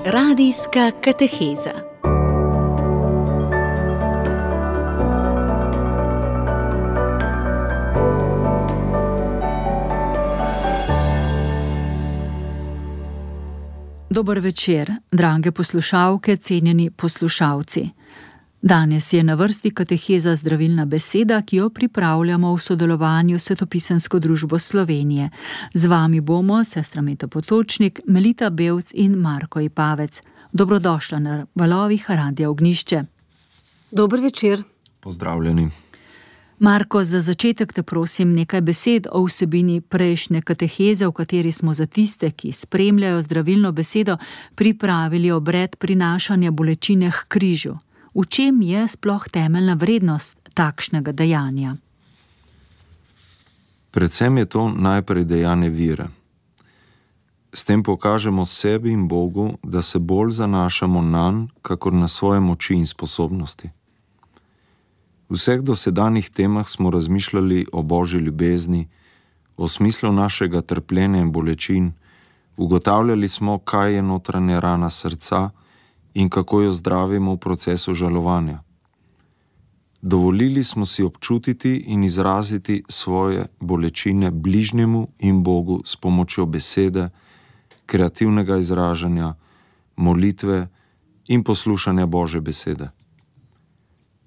Radijska kateheza. Dober večer, drage poslušalke, cenjeni poslušalci. Danes je na vrsti kateheza Zdravilna beseda, ki jo pripravljamo v sodelovanju s Svetopisemsko družbo Slovenije. Z vami bomo sestra Meta Potočnik, Melita Bevc in Marko Ipavec. Dobrodošla na valovih Radia Ognjišče. Dober večer. Pozdravljeni. Marko, za začetek te prosim nekaj besed o vsebini prejšnje kateheze, v kateri smo za tiste, ki spremljajo zdravilno besedo, pripravili obred prinašanja bolečine k križu. V čem je sploh temeljna vrednost takšnega dejanja? Predvsem je to najprej dejanje vere. S tem pokažemo sebi in Bogu, da se bolj zanašamo nanj, kakor na svoje moči in sposobnosti. V vseh dosedanjih temah smo razmišljali o Božji ljubezni, o smislu našega trpljenja in bolečin, ugotavljali smo, kaj je notranja rana srca in kako jo zdravimo v procesu žalovanja. Dovolili smo si občutiti in izraziti svoje bolečine bližnjemu in Bogu s pomočjo besede, kreativnega izražanja, molitve in poslušanja Božje besede.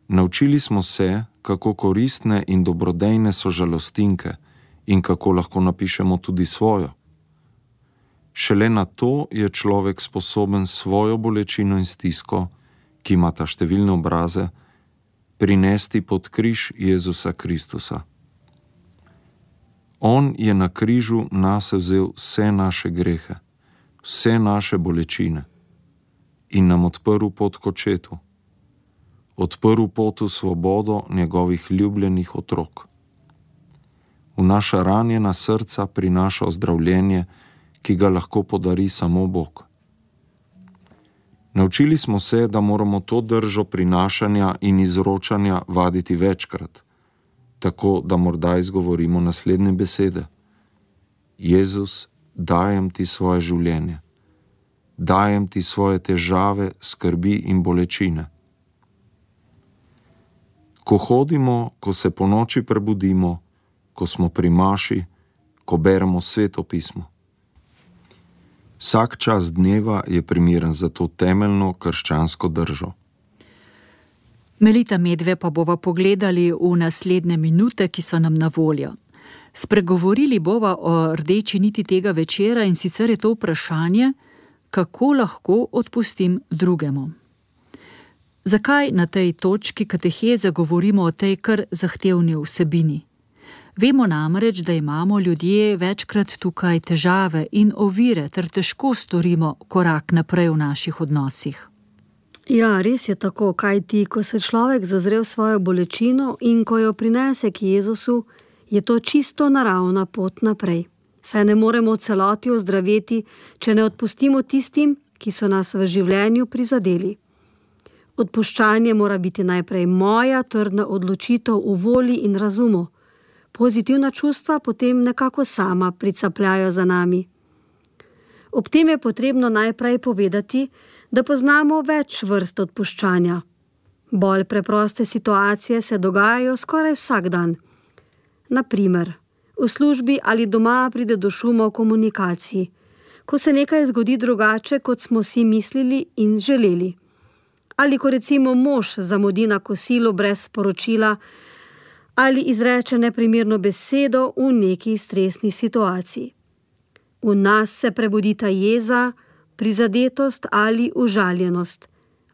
Naučili smo se, kako koristne in dobrodejne so žalostinke in kako lahko napišemo tudi svojo. Šele na to je človek sposoben svojo bolečino in stisko, ki imata številne obraze, prinesti pod križ Jezusa Kristusa. On je na križu nase vzel vse naše grehe, vse naše bolečine in nam odprl pot k očetu. Odprl pot v svobodo njegovih ljubljenih otrok. V naša ranjena srca prinaša ozdravljenje, ki ga lahko podari samo Bog. Naučili smo se, da moramo to držo prinašanja in izročanja vaditi večkrat, tako da morda izgovorimo naslednje besede. Jezus, dajem ti svoje življenje. Dajem ti svoje težave, skrbi in bolečine. Ko hodimo, ko se ponoči prebudimo, ko smo pri maši, ko beremo Sveto pismo. Vsak čas dneva je primeren za to temeljno krščansko držo. Melita, medve pa bova pogledali v naslednje minute, ki so nam na voljo. Spregovorili bova o rdeči niti tega večera, in sicer je to vprašanje, kako lahko odpustim drugemu. Zakaj na tej točki kateheze govorimo o tej kar zahtevni vsebini? Vemo namreč, da imamo ljudje večkrat tukaj težave in ovire ter težko storimo korak naprej v naših odnosih. Ja, res je tako, kajti ko se človek zazre v svojo bolečino in ko jo prinese k Jezusu, je to čisto naravna pot naprej. Saj ne moremo v celoti ozdraveti, če ne odpustimo tistim, ki so nas v življenju prizadeli. Odpuščanje mora biti najprej moja trdna odločitev v volji in razumu. Pozitivna čustva potem nekako sama pricapljajo za nami. Ob tem je potrebno najprej povedati, da poznamo več vrst odpuščanja. Bolj preproste situacije se dogajajo skoraj vsak dan. Na primer, v službi ali doma pride do šuma v komunikaciji, ko se nekaj zgodi drugače, kot smo si mislili in želeli. Ali ko recimo mož zamudi na kosilo brez sporočila, ali izreče neprimerno besedo v neki stresni situaciji. V nas se prebudita jeza, prizadetost ali užaljenost.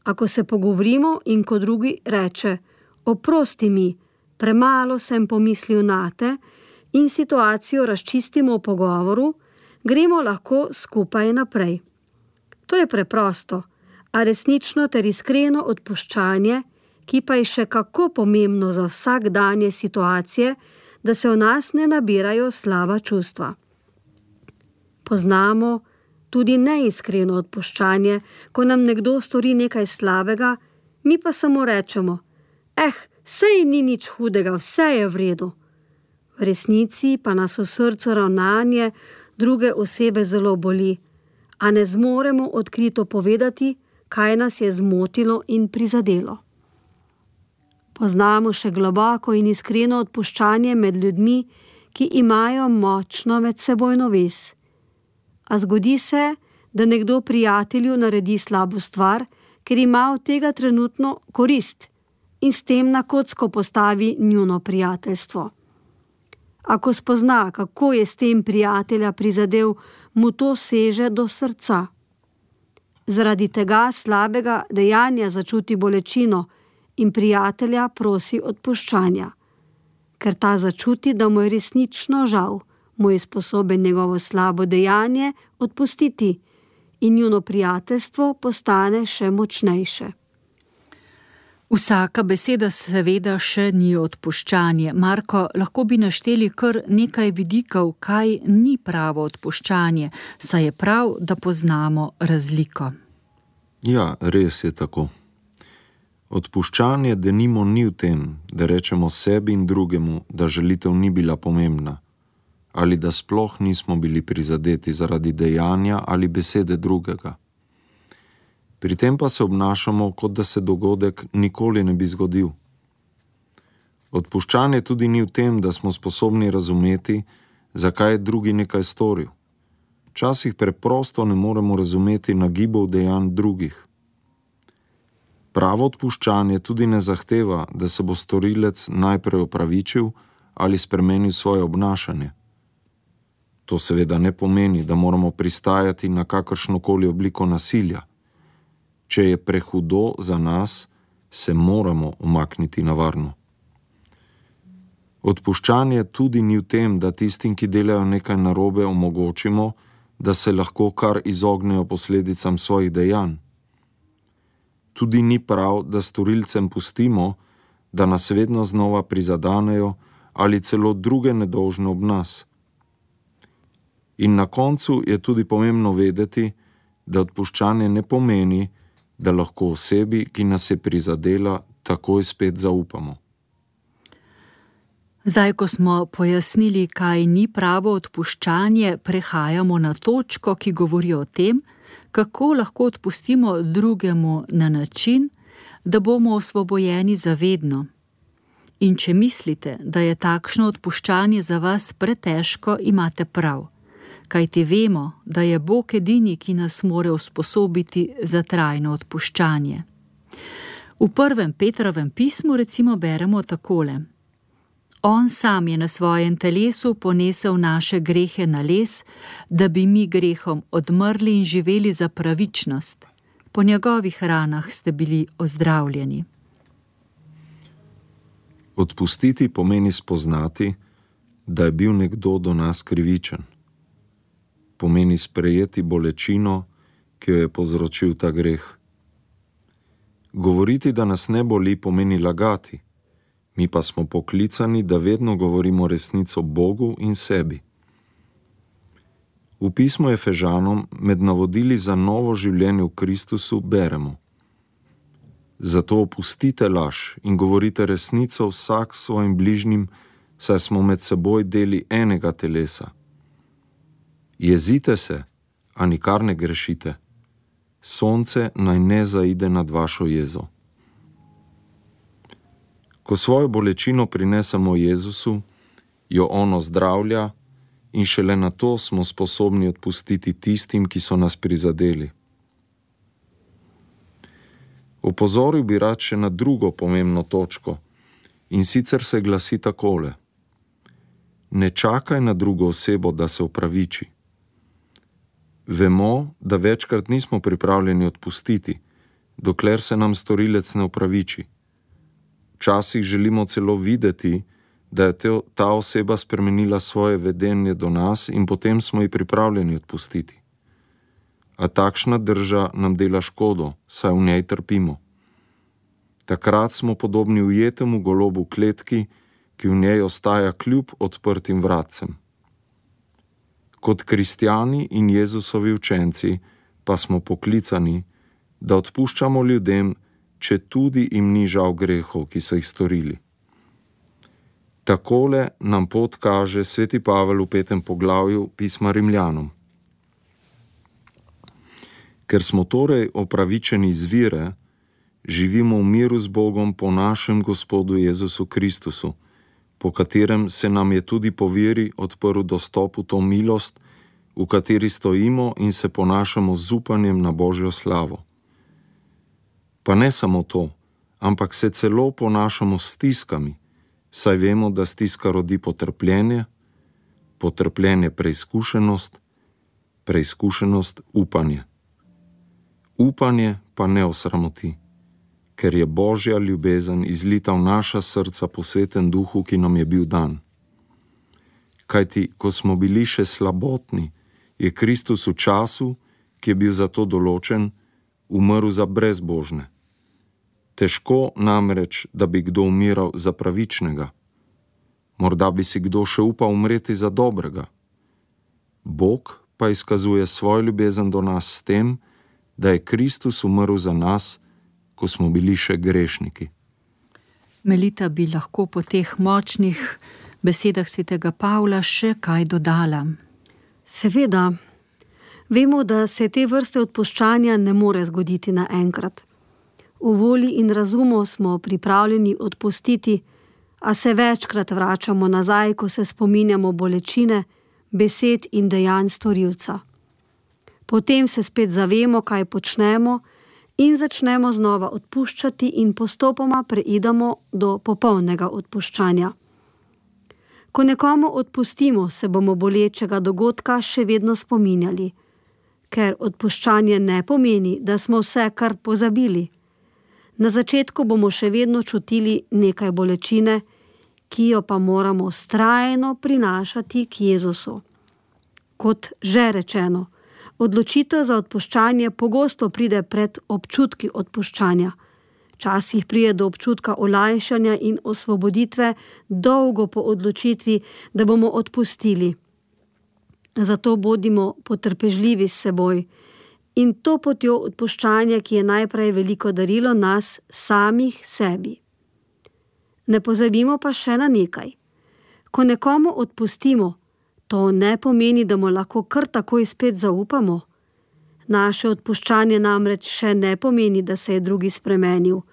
Ako se pogovorimo in ko drugi reče, oprosti mi, premalo sem pomislil nate, in situacijo razčistimo v pogovoru, gremo lahko skupaj naprej. To je preprosto, a resnično ter iskreno odpuščanje, ki pa je še kako pomembno za vsakdanje situacije, da se v nas ne nabirajo slaba čustva. Poznamo tudi neiskreno odpuščanje, ko nam nekdo stori nekaj slabega, mi pa samo rečemo, sej ni nič hudega, vse je v redu. V resnici pa nas v srcu ravnanje druge osebe zelo boli, a ne zmoremo odkrito povedati, kaj nas je zmotilo in prizadelo. Poznamo še globoko in iskreno odpuščanje med ljudmi, ki imajo močno medsebojno vez. A zgodi se, da nekdo prijatelju naredi slabo stvar, ker ima od tega trenutno korist in s tem na kocko postavi njuno prijateljstvo. Ako spozna, kako je s tem prijatelja prizadel, mu to seže do srca. Zaradi tega slabega dejanja začuti bolečino in prijatelja prosi odpuščanja. Ker ta začuti, da mu je resnično žal, mu je sposoben njegovo slabo dejanje odpustiti in njuno prijateljstvo postane še močnejše. Vsaka beseda seveda še ni odpuščanje. Marko, lahko bi našteli kar nekaj vidikov, kaj ni pravo odpuščanje, saj je prav, da poznamo razliko. Ja, res je tako. Odpuščanje denimo ni v tem, da rečemo sebi in drugemu, da žalitev ni bila pomembna, ali da sploh nismo bili prizadeti zaradi dejanja ali besede drugega. Pri tem pa se obnašamo, kot da se dogodek nikoli ne bi zgodil. Odpuščanje tudi ni v tem, da smo sposobni razumeti, zakaj je drugi nekaj storil. Včasih preprosto ne moremo razumeti nagibov dejanj drugih. Pravo odpuščanje tudi ne zahteva, da se bo storilec najprej opravičil ali spremenil svoje obnašanje. To seveda ne pomeni, da moramo pristajati na kakršnokoli obliko nasilja. Če je prehudo za nas, se moramo umakniti na varno. Odpuščanje tudi ni v tem, da tistim, ki delajo nekaj narobe, omogočimo, da se lahko kar izognejo posledicam svojih dejanj. Tudi ni prav, da storilcem pustimo, da nas vedno znova prizadanejo ali celo druge nedolžne ob nas. In na koncu je tudi pomembno vedeti, da odpuščanje ne pomeni, da lahko osebi, ki nas je prizadela, takoj spet zaupamo. Zdaj, ko smo pojasnili, kaj ni pravo odpuščanje, prehajamo na točko, ki govori o tem, kako lahko odpustimo drugemu na način, da bomo osvobojeni zavedno. In če mislite, da je takšno odpuščanje za vas pretežko, imate prav. Kajti vemo, da je Bog edini, ki nas more usposobiti za trajno odpuščanje. V 1. Petrovem pismu recimo beremo takole: On sam je na svojem telesu ponesel naše grehe na les, da bi mi grehom odmrli in živeli za pravičnost. Po njegovih ranah ste bili ozdravljeni. Odpustiti pomeni spoznati, da je bil nekdo do nas krivičen. Pomeni sprejeti bolečino, ki jo je povzročil ta greh. Govoriti, da nas ne boli, pomeni lagati. Mi pa smo poklicani, da vedno govorimo resnico Bogu in sebi. V pismu Efežanom med navodili za novo življenje v Kristusu beremo: Zato opustite laž in govorite resnico vsak svojim bližnjim, saj smo med seboj deli enega telesa. Jezite se, a nikar ne grešite. Sonce naj ne zaide nad vašo jezo. Ko svojo bolečino prinesemo Jezusu, jo on ozdravlja in šele na to smo sposobni odpustiti tistim, ki so nas prizadeli. Opozoril bi rad še na drugo pomembno točko, in sicer se glasi takole: Ne čakaj na drugo osebo, da se opraviči. Vemo, da večkrat nismo pripravljeni odpustiti, dokler se nam storilec ne opraviči. Včasih želimo celo videti, da je ta oseba spremenila svoje vedenje do nas in potem smo ji pripravljeni odpustiti. A takšna drža nam dela škodo, saj v njej trpimo. Takrat smo podobni ujetemu golobu v kletki, ki v njej ostaja kljub odprtim vratcem. Kot kristjani in Jezusovi učenci pa smo poklicani, da odpuščamo ljudem, če tudi jim ni žal grehov, ki so jih storili. Takole nam pot kaže sveti Pavel v 5. poglavju pisma Rimljanom. Ker smo torej opravičeni iz vere, živimo v miru z Bogom po našem Gospodu Jezusu Kristusu, po katerem se nam je tudi po veri odprl dostop v to milost, v kateri stojimo in se ponašamo z upanjem na Božjo slavo. Pa ne samo to, ampak se celo ponašamo s stiskami, saj vemo, da stiska rodi potrpljenje, potrpljenje preizkušenost, preizkušenost upanje. Upanje pa ne osramoti, ker je Božja ljubezen izlita v naša srca po Svetem Duhu, ki nam je bil dan. Kajti, ko smo bili še slabotni, je Kristus v času, ki je bil za to določen, umrl za brezbožne. Težko namreč, da bi kdo umiral za pravičnega. Morda bi si kdo še upal umreti za dobrega. Bog pa izkazuje svojo ljubezen do nas s tem, da je Kristus umrl za nas, ko smo bili še grešniki. Melita bi lahko po teh močnih besedah svetega Pavla še kaj dodala. Seveda, vemo, da se te vrste odpuščanja ne more zgoditi naenkrat. V volji in razumu smo pripravljeni odpustiti, a se večkrat vračamo nazaj, ko se spominjamo bolečine, besed in dejanj storilca. Potem se spet zavemo, kaj počnemo in začnemo znova odpuščati in postopoma preidemo do popolnega odpuščanja. Ko nekomu odpustimo, se bomo bolečega dogodka še vedno spominjali, ker odpuščanje ne pomeni, da smo vse kar pozabili. Na začetku bomo še vedno čutili nekaj bolečine, ki jo pa moramo vztrajno prinašati k Jezusu. Kot že rečeno, odločitev za odpuščanje pogosto pride pred občutki odpuščanja. Včasih pride do občutka olajšanja in osvoboditve dolgo po odločitvi, da bomo odpustili. Zato bodimo potrpežljivi s seboj in to potjo odpuščanja, ki je najprej veliko darilo nas samih sebi. Ne pozabimo pa še na nekaj. Ko nekomu odpustimo, to ne pomeni, da mu lahko kar takoj spet zaupamo. Naše odpuščanje namreč še ne pomeni, da se je drugi spremenil.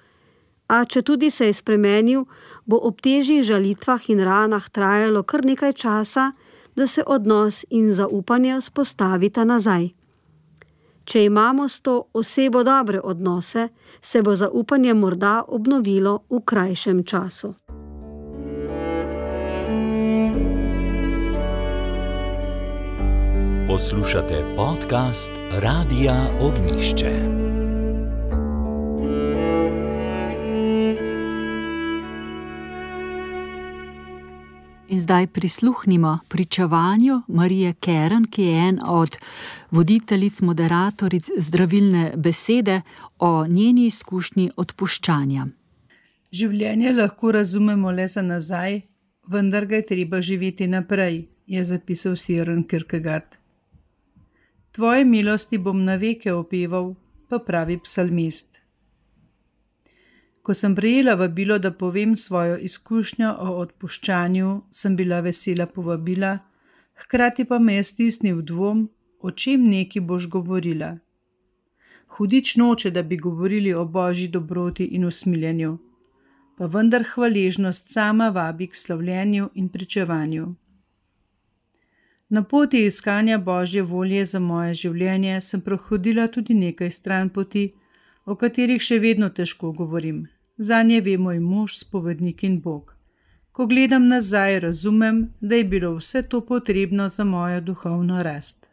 A če tudi se je spremenil, bo ob težjih žalitvah in ranah trajalo kar nekaj časa, da se odnos in zaupanje vzpostavita nazaj. Če imamo s to osebo dobre odnose, se bo zaupanje morda obnovilo v krajšem času. Poslušate podcast Radia Ognjišče. In zdaj prisluhnimo pričevanju Marije Kern, ki je en od voditeljic, moderatoric zdravilne besede, o njeni izkušnji odpuščanja. Življenje lahko razumemo le za nazaj, vendar ga je treba živeti naprej, je zapisal Søren Kierkegaard. Tvoje milosti bom na veke opeval, pa pravi psalmist. Ko sem prejela vabilo, da povem svojo izkušnjo o odpuščanju, sem bila vesela povabila, hkrati pa me je stisnil dvom, o čem neki boš govorila. Hudič noče, da bi govorili o božji dobroti in usmiljenju, pa vendar hvaležnost sama vabi k slavljenju in pričevanju. Na poti iskanja božje volje za moje življenje sem prehodila tudi nekaj stranpoti, o katerih še vedno težko govorim. Zanje ve moj mož, spovednik in Bog. Ko gledam nazaj, razumem, da je bilo vse to potrebno za mojo duhovno rast.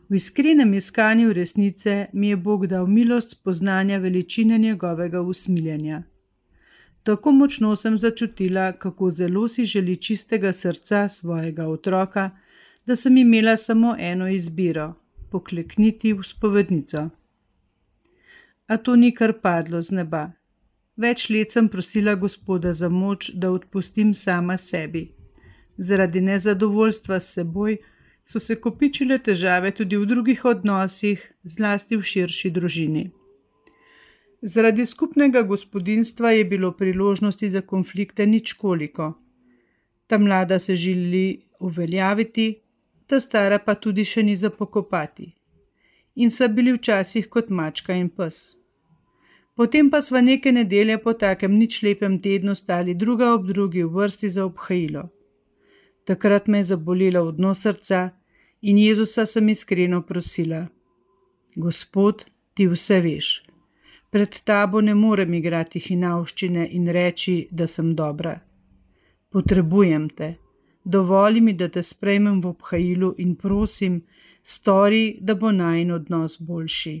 V iskrenem iskanju resnice mi je Bog dal milost spoznanja veličine njegovega usmiljenja. Tako močno sem začutila, kako zelo si želi čistega srca svojega otroka, da sem imela samo eno izbiro – poklekniti v spovednico. A to ni kar padlo z neba. Več let sem prosila Gospoda za moč, da odpustim sama sebi. Zaradi nezadovoljstva s seboj so se kopičile težave tudi v drugih odnosih, zlasti v širši družini. Zaradi skupnega gospodinjstva je bilo priložnosti za konflikte ničkoliko. Ta mlada se želi uveljaviti, ta stara pa tudi še ni za pokopati. in sta bili včasih kot mačka in pes. Potem pa sva neke nedelje po takem nič lepem tednu stali druga ob drugi v vrsti za obhajilo. Takrat me je zabolelo v dno srca in Jezusa sem iskreno prosila: Gospod, ti vse veš. Pred tabo ne morem igrati hinavščine in reči, da sem dobra. Potrebujem te. Dovoli mi, da te sprejmem v obhajilu in prosim, stori, da bo najin odnos boljši.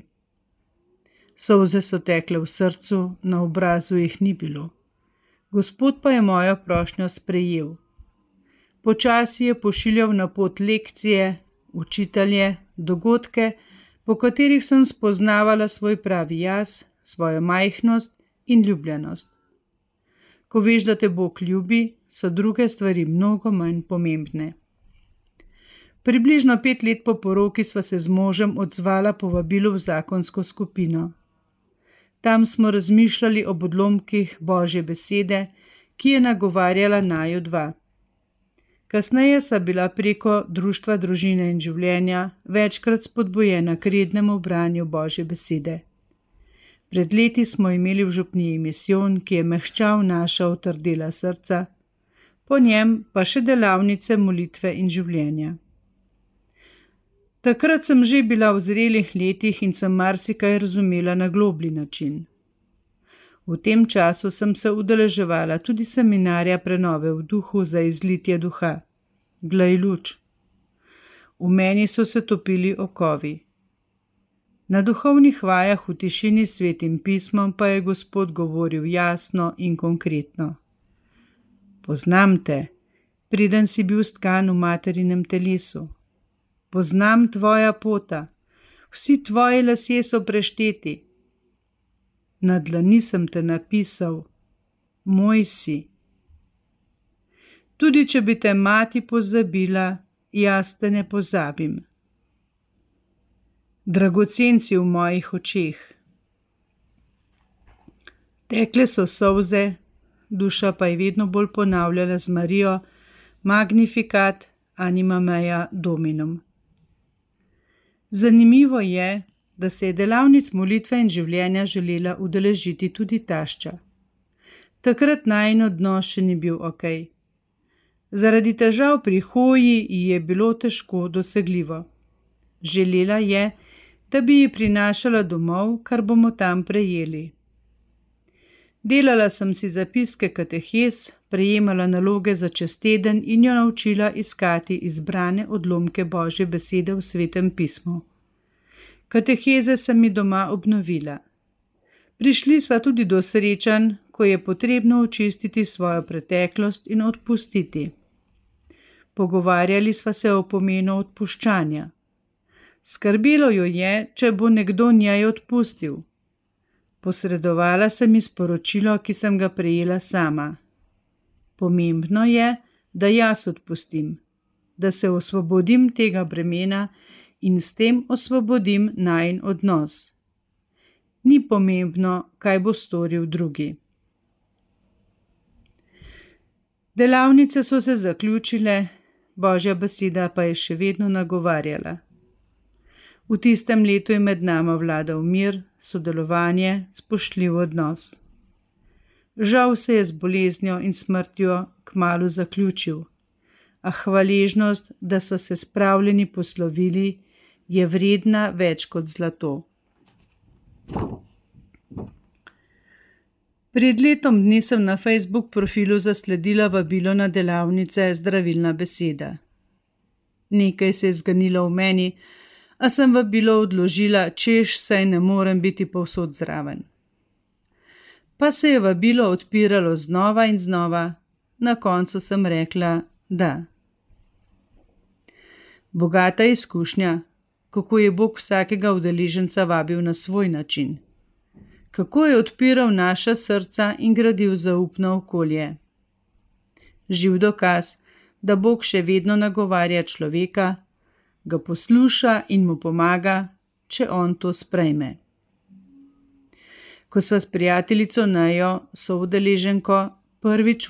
Solze so tekle v srcu, na obrazu jih ni bilo. Gospod pa je mojo prošnjo sprejel. Počasi je pošiljal na pot lekcije, učitelje, dogodke, po katerih sem spoznavala svoj pravi jaz, svojo majhnost in ljubljenost. Ko veš, da te Bog ljubi, so druge stvari mnogo manj pomembne. Približno 5 let po poroki sva se z možem odzvala povabilu v zakonsko skupino. Tam smo razmišljali o odlomkih Božje besede, ki je nagovarjala naju dva. Kasneje sva bila preko Društva družine in življenja večkrat spodbujena k rednemu branju Božje besede. Pred leti smo imeli v župniji misijon, ki je mehčal naša otrdela srca, po njem pa še delavnice molitve in življenja. Takrat sem že bila v zrelih letih in sem marsikaj razumela na globlji način. V tem času sem se udeleževala tudi seminarja prenove v duhu za izlitje duha. Glej luč. V meni so se topili okovi. Na duhovnih vajah v tišini s Svetim pismom pa je Gospod govoril jasno in konkretno. Poznam te, preden si bil stkan v materinem telesu. Poznam tvoja pota, vsi tvoji lasje so prešteti. Na dlani sem te napisal, moj si. Tudi če bi te mati pozabila, jaz te ne pozabim. Dragocen si v mojih očeh. Tekle so solze, duša pa je vedno bolj ponavljala z Marijo Magnificat anima mea Dominum. Zanimivo je, da se je delavnic molitve in življenja želela udeležiti tudi tašča. Takrat najin odnos še ni bil okej. Zaradi težav pri hoji ji je bilo težko dosegljivo. Želela je, da bi ji prinašala domov, kar bomo tam prejeli. Delala sem si zapiske katehes, prejemala naloge za čez teden in jo naučila iskati izbrane odlomke Božje besede v Svetem pismu. Kateheze sem mi doma obnovila. Prišli sva tudi do srečanj, ko je potrebno očistiti svojo preteklost in odpustiti. Pogovarjali sva se o pomenu odpuščanja. Skrbelo jo je, če bo nekdo njej odpustil. Posredovala sem ji sporočilo, ki sem ga prejela sama. Pomembno je, da jaz odpustim, da se osvobodim tega bremena in s tem osvobodim najin odnos. Ni pomembno, kaj bo storil drugi. Delavnice so se zaključile, Božja beseda pa je še vedno nagovarjala. V tistem letu je med nama vladal mir, sodelovanje, spoštljiv odnos. Žal se je z boleznjo in smrtjo kmalu zaključil, a hvaležnost, da so se spravljeni poslovili, je vredna več kot zlato. Pred letom dni sem na Facebook profilu zasledila vabilo na delavnice Zdravilna beseda. Nekaj se je zganilo v meni, a sem vabilo odložila, češ saj ne morem biti povsod zraven. Pa se je vabilo odpiralo znova in znova, na koncu sem rekla da. Bogata izkušnja, kako je Bog vsakega udeleženca vabil na svoj način. Kako je odpiral naša srca in gradil zaupno okolje. Živ dokaz, da Bog še vedno nagovarja človeka, ga posluša in mu pomaga, če on to sprejme. Ko sva s prijateljico Nejo, soudeleženko, prvič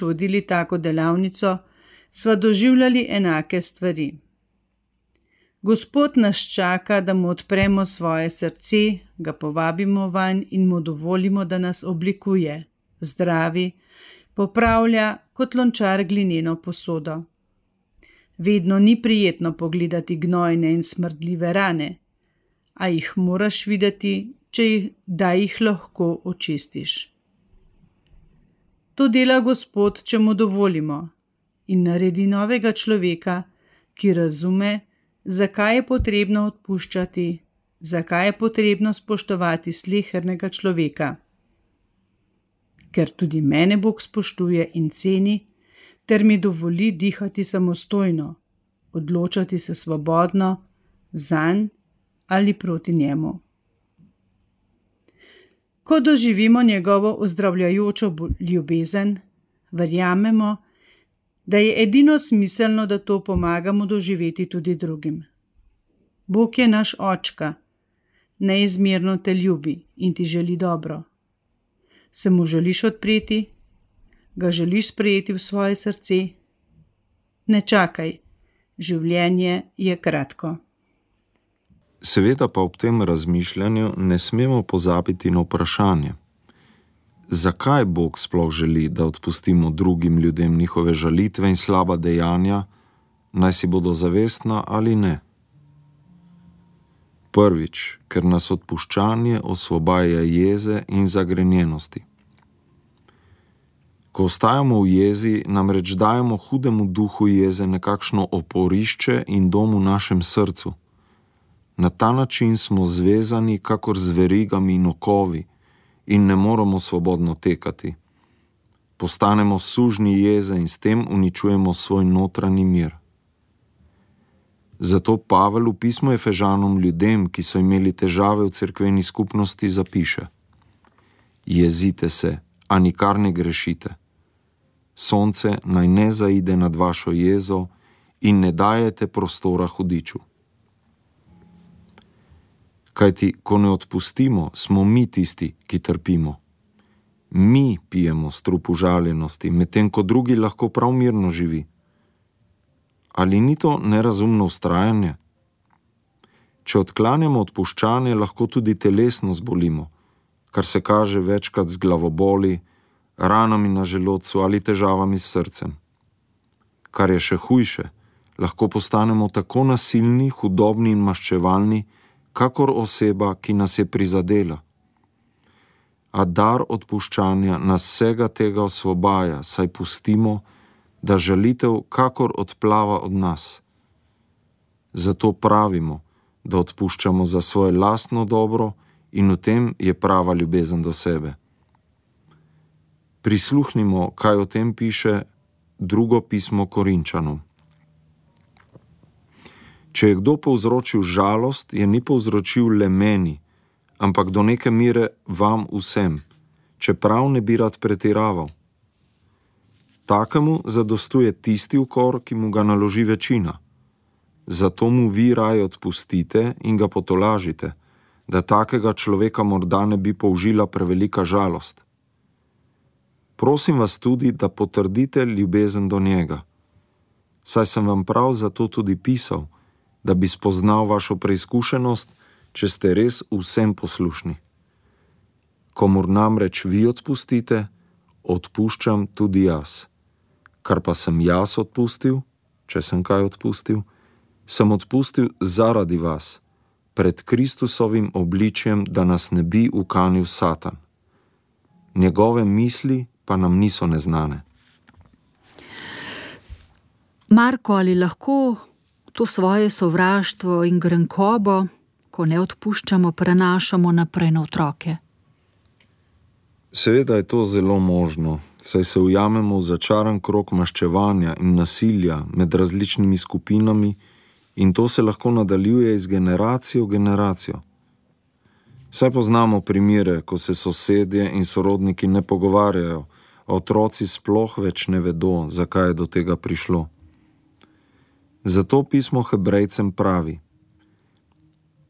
vodili tako delavnico, sva doživljali enake stvari. Gospod nas čaka, da mu odpremo svoje srce, ga povabimo vanj in mu dovolimo, da nas oblikuje, zdravi, popravlja kot lončar glineno posodo. Vedno ni prijetno pogledati gnojne in smrdljive rane, a jih moraš videti, da jih lahko očistiš. To dela Gospod, če mu dovolimo, in naredi novega človeka, ki razume, zakaj je potrebno odpuščati, zakaj je potrebno spoštovati slehernega človeka. Ker tudi mene Bog spoštuje in ceni, ter mi dovoli dihati samostojno, odločati se svobodno, zanj ali proti njemu. Ko doživimo njegovo ozdravljajočo ljubezen, verjamemo, da je edino smiselno, da to pomagamo doživeti tudi drugim. Bog je naš očka, neizmerno te ljubi in ti želi dobro. Se mu želiš odpreti? Ga želiš sprejeti v svoje srce? Ne čakaj, življenje je kratko. Seveda pa ob tem razmišljanju ne smemo pozabiti na vprašanje, zakaj Bog sploh želi, da odpustimo drugim ljudem njihove žalitve in slaba dejanja, naj si bodo zavestna ali ne. Prvič, ker nas odpuščanje osvobaja jeze in zagrenjenosti. Ko ostajamo v jezi, namreč dajemo hudemu duhu jeze nekakšno oporišče in dom v našem srcu. Na ta način smo zvezani kakor z verigami in okovi in ne moremo svobodno tekati. Postanemo sužnji jeze in s tem uničujemo svoj notranji mir. Zato Pavel v pismu Efežanom ljudem, ki so imeli težave v cerkveni skupnosti, zapiše: Jezite se, a nikar ne grešite. Sonce naj ne zaide nad vašo jezo in ne dajete prostora hudiču. Kajti, ko ne odpustimo, smo mi tisti, ki trpimo. Mi pijemo strup užaljenosti, medtem ko drugi lahko prav mirno živi. Ali ni to nerazumno vztrajanje? Če odklanjamo odpuščanje, lahko tudi telesno zbolimo, kar se kaže večkrat z glavoboli, ranami na želodcu ali težavami s srcem. Kar je še hujše, lahko postanemo tako nasilni, hudobni in maščevalni, kakor oseba, ki nas je prizadela. A dar odpuščanja nas vsega tega osvobaja, saj pustimo, da žalitev kakor odplava od nas. Zato pravimo, da odpuščamo za svoje lastno dobro in v tem je prava ljubezen do sebe. Prisluhnimo, kaj o tem piše drugo pismo Korinčanom. Če je kdo povzročil žalost, je ni povzročil le meni, ampak do neke mere vam vsem, čeprav ne bi rad pretiraval. Takemu zadostuje tisti ukor, ki mu ga naloži večina. Zato mu vi raje odpustite in ga potolažite, da takega človeka morda ne bi použila prevelika žalost. Prosim vas tudi, da potrdite ljubezen do njega. Saj sem vam prav zato tudi pisal, da bi spoznal vašo preizkušenost, če ste res vsem poslušni. Komur namreč vi odpustite, odpuščam tudi jaz. Kar pa sem jaz odpustil, če sem kaj odpustil, sem odpustil zaradi vas, pred Kristusovim obličjem, da nas ne bi ukanil Satan. Njegove misli pa nam niso neznane. Marko, ali lahko to svoje sovraštvo in grenkobo, ko ne odpuščamo, prenašamo naprej na otroke? Seveda je to zelo možno, saj se ujamemo v začaran krog maščevanja in nasilja med različnimi skupinami in to se lahko nadaljuje iz generacijo v generacijo. Saj poznamo primere, ko se sosedje in sorodniki ne pogovarjajo, a otroci sploh več ne vedo, zakaj je do tega prišlo. Zato pismo Hebrejcem pravi: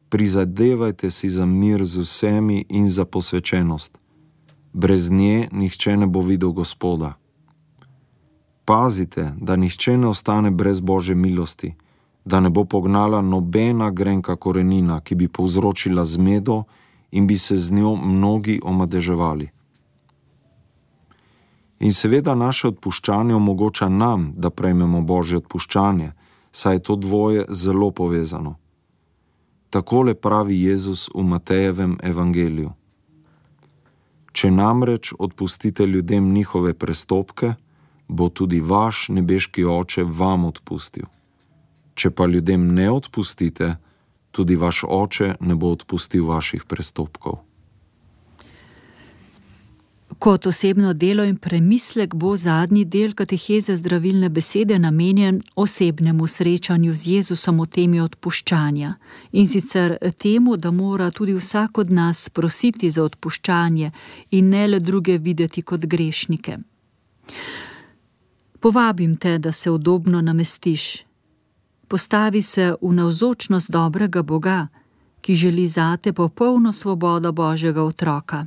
Prizadevajte si za mir z vsemi in za posvečenost. Brez nje nihče ne bo videl Gospoda. Pazite, da nihče ne ostane brez Božje milosti, da ne bo pognala nobena grenka korenina, ki bi povzročila zmedo in bi se z njo mnogi omadeževali. In seveda naše odpuščanje omogoča nam, da prejmemo Božje odpuščanje, saj je to dvoje zelo povezano. Takole pravi Jezus v Matejevem evangeliju. Če namreč odpustite ljudem njihove prestopke, bo tudi vaš nebeški Oče vam odpustil. Če pa ljudem ne odpustite, tudi vaš Oče ne bo odpustil vaših prestopkov. Kot osebno delo in premislek bo zadnji del kateheze zdravilne besede namenjen osebnemu srečanju z Jezusom o temi odpuščanja, in sicer temu, da mora tudi vsak od nas prositi za odpuščanje in ne le druge videti kot grešnike. Povabim te, da se udobno namestiš. Postavi se v navzočnost dobrega Boga, ki želi zate popolno svobodo Božjega otroka.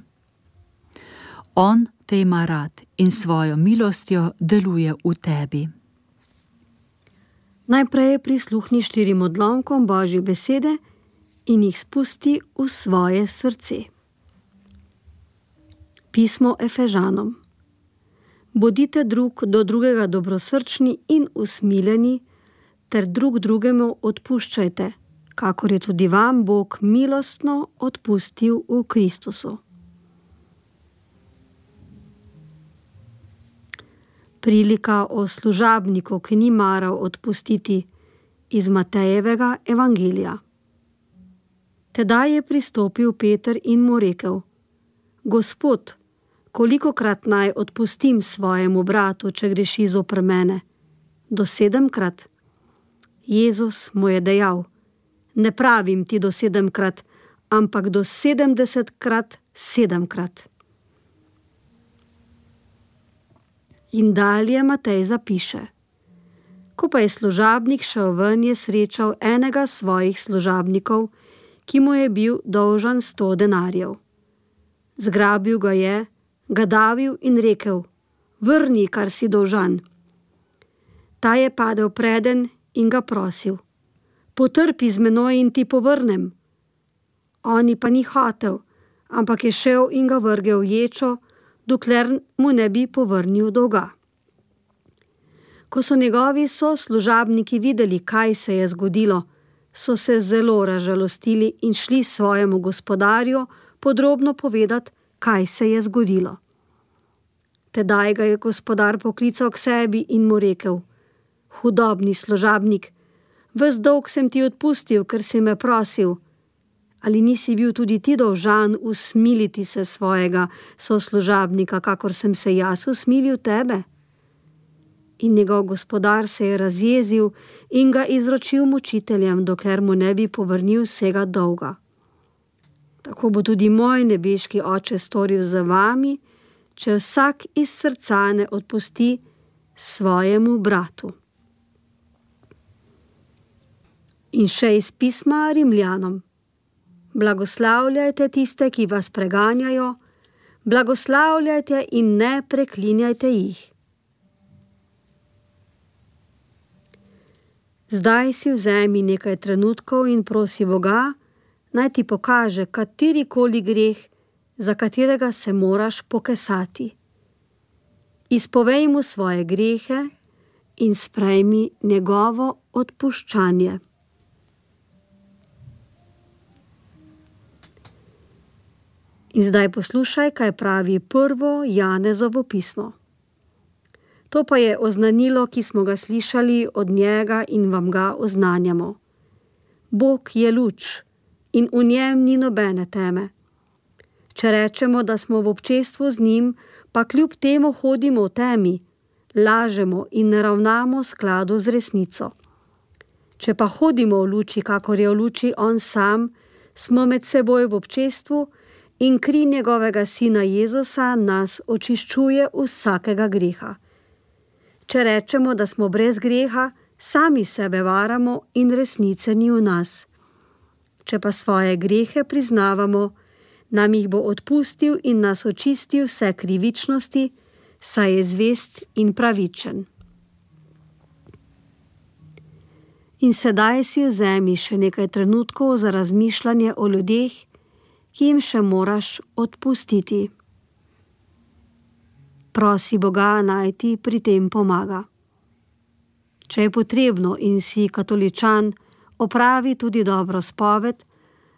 On te ima rad in svojo milostjo deluje v tebi. Najprej prisluhni 4 odlomkom Božje besede in jih spusti v svoje srce. Pismo Efežanom. Bodite drug do drugega dobrosrčni in usmiljeni, ter drug drugemu odpuščajte, kakor je tudi vam Bog milostno odpustil v Kristusu. Prilika o služabniku, ki ni maral odpustiti, iz Matejevega evangelija. Tedaj je pristopil Peter in mu rekel: Gospod, kolikokrat naj odpustim svojemu bratu, če greši zoper mene? Do 7-krat? Jezus mu je dejal: Ne pravim ti do 7-krat, ampak do 70-krat 7-krat. In dalje Matej zapiše: Ko pa je služabnik šel ven, je srečal enega svojih služabnikov, ki mu je bil dolžan 100 denarjev. Zgrabil ga je, ga davil in rekel: Vrni, kar si dolžan. Ta je padel preden in ga prosil: Potrpi z menoj in ti povrnem. Oni pa ni hotel, ampak je šel in ga vrgel v ječo, dokler mu ne bi povrnil dolga. Ko so njegovi soslužabniki videli, kaj se je zgodilo, so se zelo razžalostili in šli svojemu gospodarju podrobno povedati, kaj se je zgodilo. Tedaj ga je gospodar poklical k sebi in mu rekel: Hudobni služabnik, ves dolg sem ti odpustil, ker si me prosil. Ali nisi bil tudi ti dolžan usmiliti se svojega soslužabnika, kakor sem se jaz usmilil tebe? In njegov gospodar se je razjezil in ga izročil mučiteljem, dokler mu ne bi povrnil vsega dolga. Tako bo tudi moj nebeški Oče storil za vami, če vsak iz srca ne odpusti svojemu bratu. In še iz pisma Rimljanom. Blagoslavljajte tiste, ki vas preganjajo, blagoslavljajte in ne preklinjajte jih. Zdaj si vzemi nekaj trenutkov in prosi Boga, naj ti pokaže katerikoli greh, za katerega se moraš pokesati. Izpovej mu svoje grehe in sprejmi njegovo odpuščanje. In zdaj poslušaj, kaj pravi prvo Janezovo pismo. To pa je oznanilo, ki smo ga slišali od njega in vam ga oznanjamo. Bog je luč in v njem ni nobene teme. Če rečemo, da smo v občestvu z njim, pa kljub temu hodimo v temi, lažemo in ne ravnamo v skladu z resnico. Če pa hodimo v luči, kakor je v luči on sam, smo med seboj v občestvu in kri njegovega sina Jezusa nas očiščuje vsakega greha. Če rečemo, da smo brez greha, sami sebe varamo in resnice ni v nas. Če pa svoje grehe priznavamo, nam jih bo odpustil in nas očistil vse krivičnosti, saj je zvest in pravičen. In sedaj si vzemi še nekaj trenutkov za razmišljanje o ljudeh, ki jim še moraš odpustiti. Prosi Boga, naj ti pri tem pomaga. Če je potrebno in si katoličan, opravi tudi dobro spoved,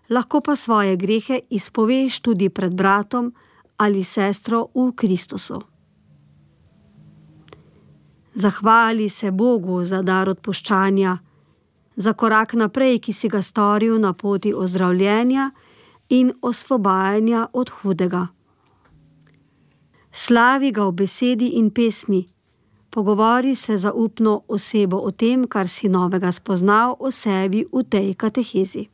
lahko pa svoje grehe izpoveš tudi pred bratom ali sestro v Kristusu. Zahvali se Bogu za dar odpuščanja, za korak naprej, ki si ga storil na poti ozdravljenja in osvobajanja od hudega. Slavi ga v besedi in pesmi, pogovori se zaupno osebo o tem, kar si novega spoznal o sebi v tej katehezi.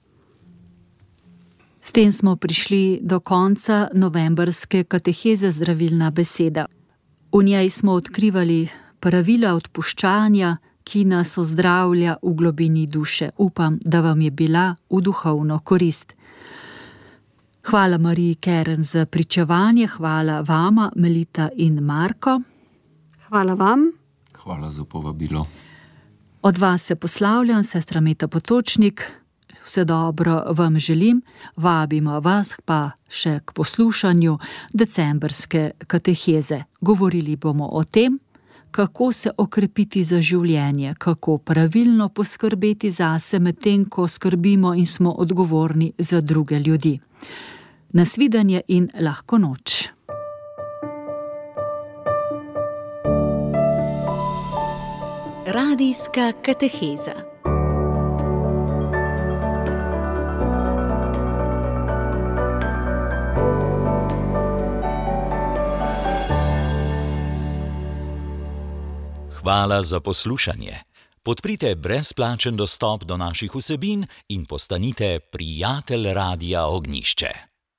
S tem smo prišli do konca novembrske kateheze Zdravilna beseda. V njej smo odkrivali pravila odpuščanja, ki nas ozdravlja v globini duše. Upam, da vam je bila v duhovno korist. Hvala Mariji Keren za pričevanje, hvala vama, Melita in Marko. Hvala vam. Hvala za povabilo. Od vas se poslavljam, sestra Meta Potočnik. Vse dobro vam želim, vabimo vas pa še k poslušanju decembrske kateheze. Govorili bomo o tem, kako se okrepiti za življenje, kako pravilno poskrbeti zase, medtem ko skrbimo in smo odgovorni za druge ljudi. Nasvidenje in lahko noč. Radijska kateheza. Hvala za poslušanje. Podprite brezplačen dostop do naših vsebin in postanite prijatelj Radia Ognjišče.